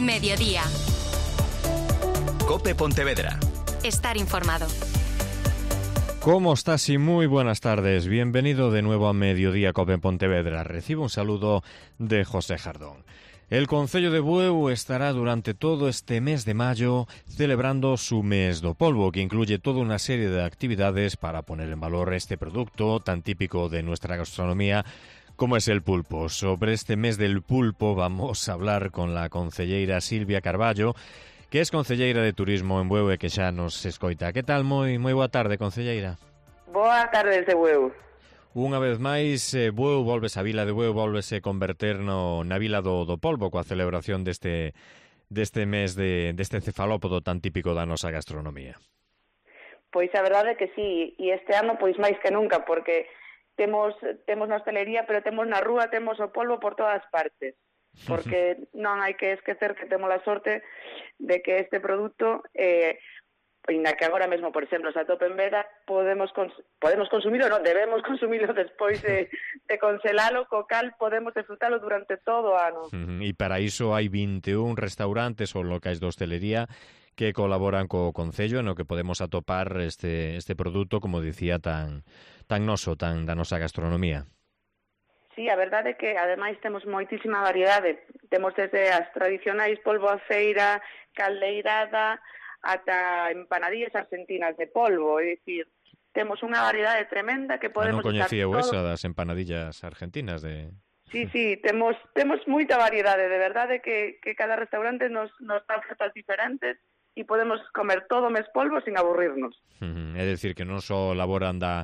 Mediodía. COPE Pontevedra. Estar informado. ¿Cómo estás? Y muy buenas tardes. Bienvenido de nuevo a Mediodía COPE en Pontevedra. Recibo un saludo de José Jardón. El Concello de Bueu estará durante todo este mes de mayo celebrando su mes do polvo, que incluye toda una serie de actividades para poner en valor este producto tan típico de nuestra gastronomía como es el pulpo. Sobre este mes del pulpo vamos a hablar con la concelleira Silvia Carballo, que es concelleira de Turismo en Bueu e que xa nos escoita. Que tal? Moi boa tarde, concelleira. Boa tarde de Bueu. Unha vez máis, Bueu volves a vila de Bueu, volvese converter na vila do polvo coa celebración deste mes deste cefalópodo tan típico da nosa gastronomía. Pois a verdade é que sí, e este ano pois máis que nunca, porque temos na hostelería, pero temos na rúa, temos o polvo por todas partes. Porque non hai que esquecer que temos a sorte de que este produto, ainda que agora mesmo, por exemplo, se atope en veda, podemos consumilo, non, debemos consumilo despois de congelalo, co cal podemos disfrutalo durante todo o ano. E para iso hai 21 restaurantes ou locais de hostelería que colaboran co Concello no que podemos atopar este produto, como dicía, tan noso, tan da nosa gastronomía. Sí, a verdade é que, ademais, temos moitísima variedade. Temos desde as tradicionais polvo a feira, caldeirada, ata empanadillas argentinas de polvo. É dicir, temos unha variedade tremenda que podemos... Non coñecía esa das empanadillas argentinas de... Sí, temos moita variedade, de verdade que cada restaurante nos dá ofertas diferentes e podemos comer todo mes polvo sin aburrirnos. É dicir, que non só elaboran da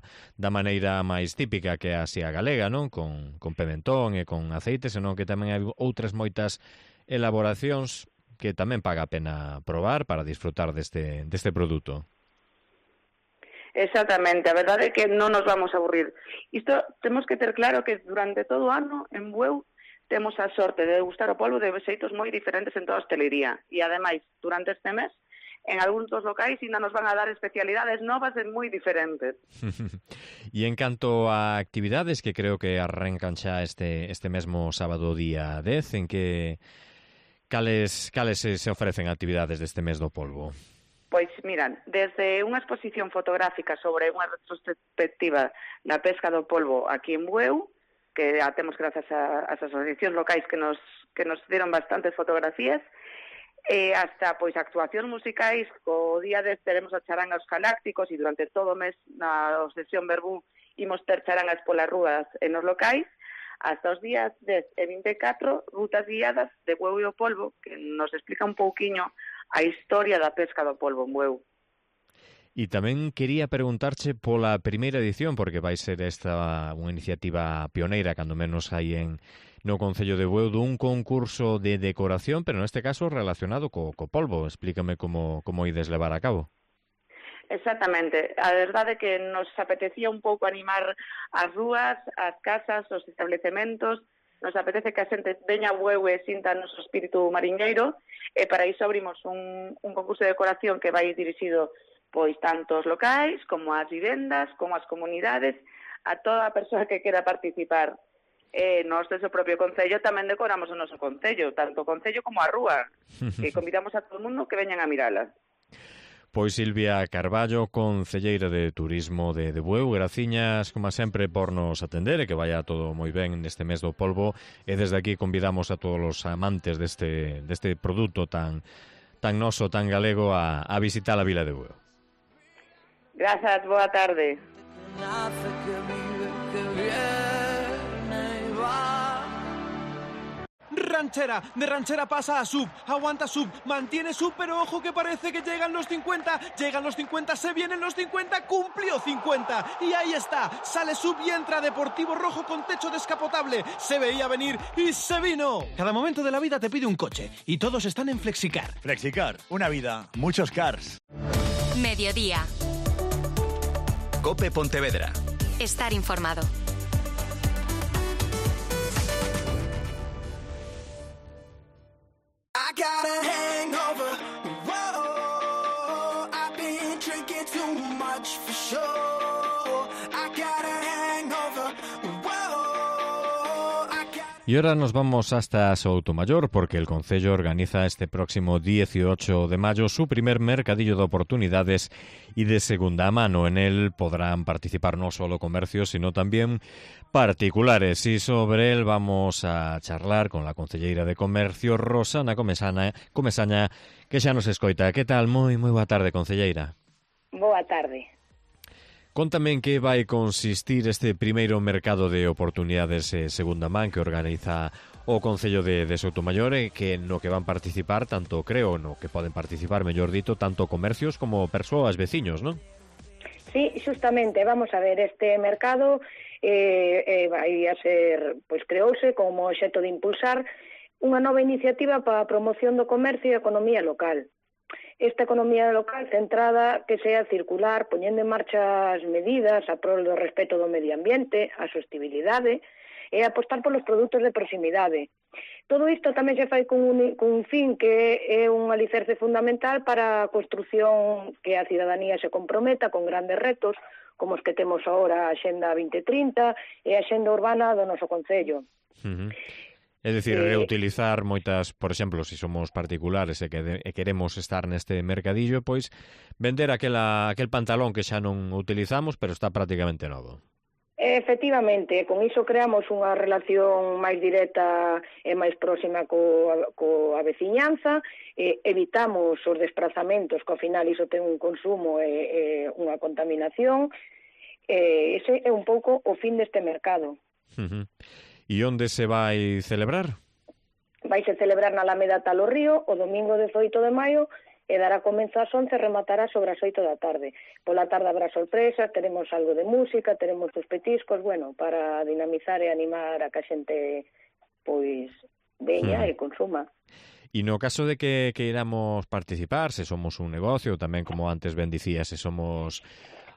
maneira máis típica que así a galega, non? Con pimentón e con aceite, senón que tamén hai outras moitas elaboracións que tamén paga a pena probar para disfrutar deste produto. Exactamente, a verdade é que non nos vamos a aburrir. Isto temos que ter claro que durante todo o ano en Bueu temos a sorte de degustar o polvo de xeitos moi diferentes en toda a hostelería. E ademais, durante este mes, en algúns dos locais ainda nos van a dar especialidades novas e moi diferentes. E en canto a actividades que creo que arrancan xa este mesmo sábado día 10, en que cales se ofrecen actividades deste mes do polvo? Pois, miran, desde unha exposición fotográfica sobre unha retrospectiva da pesca do polvo aquí en Bueu, que a temos grazas ás asociacións locais que nos dieron bastantes fotografías, hasta pois actuacións musicais. O día 10 teremos a charangas galácticos e durante todo o mes na sesión Verbú imos ter charangas polas rúas e nos locais, hasta os días 10 e 24 rutas guiadas de Bueu e o polvo, que nos explica un pouquiño a historia da pesca do polvo en Bueu. E tamén quería preguntarche pola primeira edición, porque vai ser esta unha iniciativa pioneira, cando menos hai no Concello de Bueu, dun concurso de decoración, pero neste caso relacionado co polvo. Explícame como ides levar a cabo. Exactamente. A verdade é que nos apetecía un pouco animar as rúas, as casas, os establecementos. Nos apetece que a xente veña a Bueu e sinta o noso espírito mariñeiro, e para iso abrimos un concurso de decoración que vai dirixido pois tanto os locais, como as vivendas, como as comunidades, a toda a persoa que quera participar. Nós, desde o propio Concello, tamén decoramos o noso Concello, tanto o Concello como a rúa, que convidamos a todo o mundo que veñan a mirala. Pois Silvia Carballo, concelleira de Turismo de Bueu, graciñas, como sempre, por nos atender e que vaya todo moi ben neste mes do polvo, e desde aquí convidamos a todos os amantes deste produto tan noso, tan galego, a visitar a vila de Bueu. Grazas, boa tarde. Ranchera, de ranchera pasa a sub, aguanta sub, mantiene sub, pero ojo que parece que llegan los 50, se vienen los 50, cumplió 50, y ahí está, sale sub y entra Deportivo Rojo con techo descapotable, se veía venir y se vino. Cada momento de la vida te pide un coche, y todos están en Flexicar. Flexicar, una vida, muchos cars. Mediodía. COPE Pontevedra. Estar informado. I got a hangover. Whoa, I've been drinking too much for sure. I got a hangover. Whoa, I got Y ahora nos vamos hasta Soutomaior porque el Concello organiza este próximo 18 de mayo su primer mercadillo de oportunidades y de segunda mano. En él podrán participar no solo comercios, sino también particulares. Y sobre él vamos a charlar con la concelleira de Comercio, Rosana Comesaña, que xa nos escoita. Que tal? Moi boa tarde, concelleira. Boa tarde. Contame en que vai consistir este primeiro mercado de oportunidades segunda man que organiza o Concello de Soutomaior e que no que van participar tanto, creo, no que poden participar, mellor dito, tanto comercios como persoas, veciños, non? Sí, justamente, vamos a ver, este mercado vai a ser, pois creouse como obxecto de impulsar unha nova iniciativa para a promoción do comercio e a economía local. Esta economía local centrada que sea circular, poñendo en marcha as medidas a prol do respeto do medio ambiente, a sostenibilidade e apostar polos produtos de proximidade. Todo isto tamén se fai con un fin que é un alicerce fundamental para a construción que a cidadanía se comprometa con grandes retos, como os que temos agora a Axenda 2030 e a Axenda Urbana do noso Concello. É dicir, reutilizar moitas, por exemplo, se somos particulares e queremos estar neste mercadillo, pois vender aquel pantalón que xa non utilizamos, pero está prácticamente novo. Efectivamente, con iso creamos unha relación máis directa e máis próxima coa veciñanza, evitamos os desplazamentos, que ao final iso ten un consumo e unha contaminación, ese é un pouco o fin deste mercado. E onde se vai celebrar? Vai se celebrar na Alameda Talo Río o domingo 18 de maio e dará comezo ás 11 e rematará sobre as 8 da tarde. Pola tarde habrá sorpresas, teremos algo de música, teremos os petiscos, bueno, para dinamizar e animar a que a xente pois veña e consuma. E no caso de que queiramos participar, se somos un negocio, tamén como antes ben dicía, se somos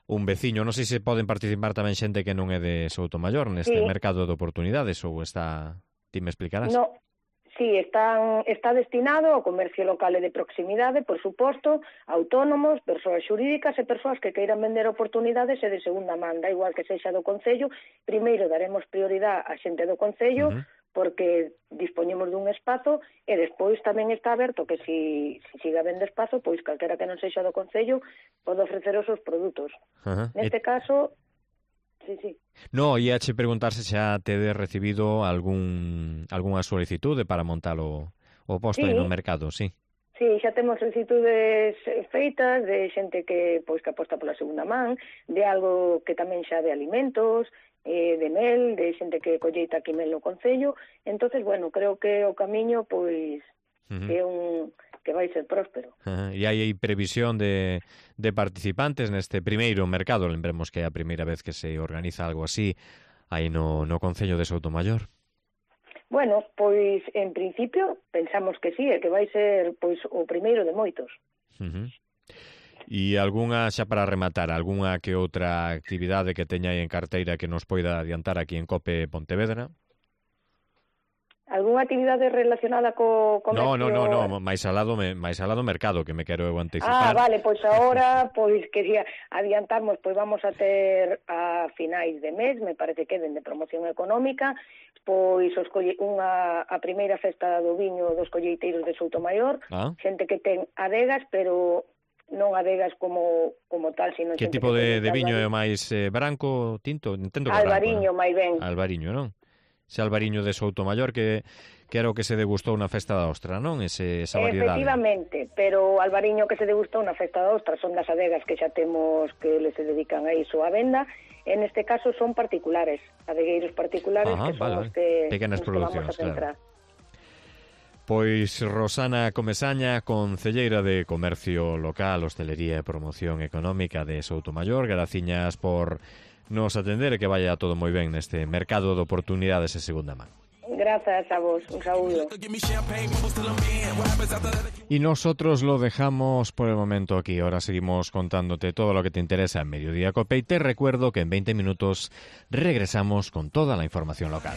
un veciño, non sei se poden participar tamén xente que non é de Soutomaior neste mercado de oportunidades ou está... Ti me explicarás? No, sí, está destinado ao comercio local e de proximidade, por suposto, autónomos, persoas xurídicas e persoas que queiran vender oportunidades e de segunda man, da igual que sexa do Concello. Primeiro daremos prioridade á xente do Concello, porque dispoñemos dun espazo e despois tamén está aberto que si siga vendo espazo, pois calquera que non sexa do Concello pode ofrecer os seus produtos. Neste caso, sí. No, ia che preguntar se xa tedes recibido algunha solicitude para montar o posto aí no mercado, sí. Sí, xa temos solicitudes feitas de xente que aposta pola segunda man, de algo que tamén xa de alimentos, de mel, de xente que colleita aquí mel no Concello. Entonces, bueno, creo que o camiño pois é que vai ser próspero. E hai previsión de participantes neste primeiro mercado. Lembremos que é a primeira vez que se organiza algo así aí no Concello de Soutomaior. Bueno, pois en principio pensamos que sí, e que vai ser pois o primeiro de moitos. E algunha, xa para rematar, algunha que outra actividade que teña aí en carteira que nos poida adiantar aquí en COPE Pontevedra? Algunha actividade relacionada co comercio? No, máis alado mercado, que me quero anticipar. Vale, pois agora, quería adiantarmos, vamos a ter a finais de mes, me parece que de promoción económica, a primeira festa do viño dos colleiteiros de Soutomaior, xente que ten adegas, pero non adegas como tal, sino que tipo de viño é o máis branco, tinto? Entendo que albariño, branco, máis ben. Albariño, non? Ese albariño de Soutomaior que era o que se degustou na festa da ostra, non? Esa variedade. Efectivamente, pero o albariño que se degustou na festa da ostra son das adegas que xa temos que se dedican a iso a venda. En este caso son particulares, adegueiros particulares, que son os que pequenas producións, vamos a centrar. Claro. Pois Rosana Comesaña, concelleira de Comercio Local, Hostelería e Promoción Económica de Soutomaior, graciñas por nos atender e que vaya todo moi ben neste mercado de oportunidades de segunda man. Gracias a vos, un saúdo. Y nosotros lo dejamos por el momento aquí. Ahora seguimos contándote todo lo que te interesa en Mediodía Cope y te recuerdo que en 20 minutos regresamos con toda la información local.